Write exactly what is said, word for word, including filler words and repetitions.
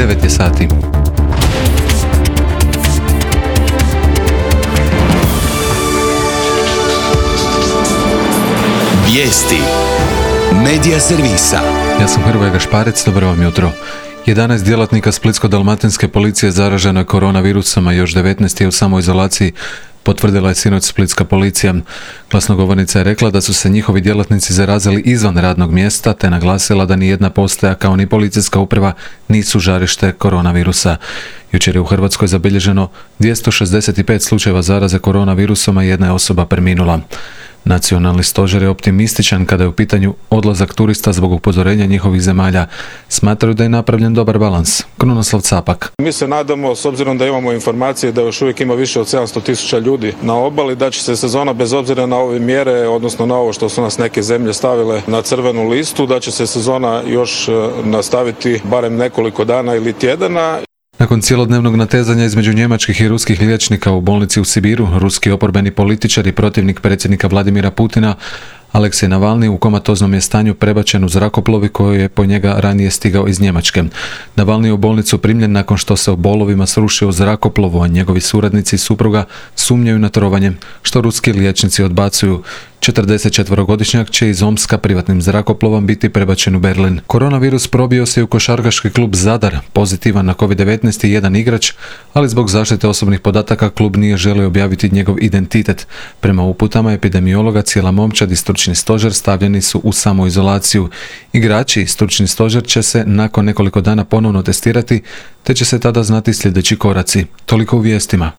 devet je sati. Vijesti Medija servisa. Ja sam Hrvoje Gašparec, dobro vam jutro. jedanaest djelatnika Splitsko-dalmatinske policije zaraženo je koronavirusom, a još devetnaest je u samoizolaciji, potvrdila je sinoć splitska policija. Glasnogovornica je rekla da su se njihovi djelatnici zarazili izvan radnog mjesta, te naglasila da ni jedna postaja kao ni policijska uprava nisu žarište koronavirusa. Jučer je u Hrvatskoj zabilježeno dvjesto šezdeset pet slučajeva zaraze koronavirusom, a jedna je osoba preminula. Nacionalni stožer je optimističan kada je u pitanju odlazak turista zbog upozorenja njihovih zemalja. Smatraju da je napravljen dobar balans. Krunoslav Capak. Mi se nadamo, s obzirom da imamo informacije da još uvijek ima više od sedamsto tisuća ljudi na obali, da će se sezona bez obzira na ove mjere, odnosno na ovo što su nas neke zemlje stavile na crvenu listu, da će se sezona još nastaviti barem nekoliko dana ili tjedana. Nakon cijelodnevnog natezanja između njemačkih i ruskih liječnika u bolnici u Sibiru, ruski oporbeni političar i protivnik predsjednika Vladimira Putina Aleksej Navalni u komatoznom je stanju prebačen u zrakoplovi koji je po njega ranije stigao iz Njemačke. Navalni je u bolnicu primljen nakon što se u bolovima srušio u zrakoplovu, a njegovi suradnici i supruga sumnjaju na trovanje, što ruski liječnici odbacuju. četrdesetčetvorogodišnjak će iz Omska privatnim zrakoplovom biti prebačen u Berlin. Koronavirus probio se u košarkaški klub Zadar, pozitivan na kovid devetnaest i jedan igrač, ali zbog zaštite osobnih podataka klub nije želio objaviti njegov identitet. Prema uputama epidemiologa, cijela momčad i stručni stožer stavljeni su u samoizolaciju. Igrači i stručni stožer će se nakon nekoliko dana ponovno testirati, te će se tada znati sljedeći koraci. Toliko u vijestima.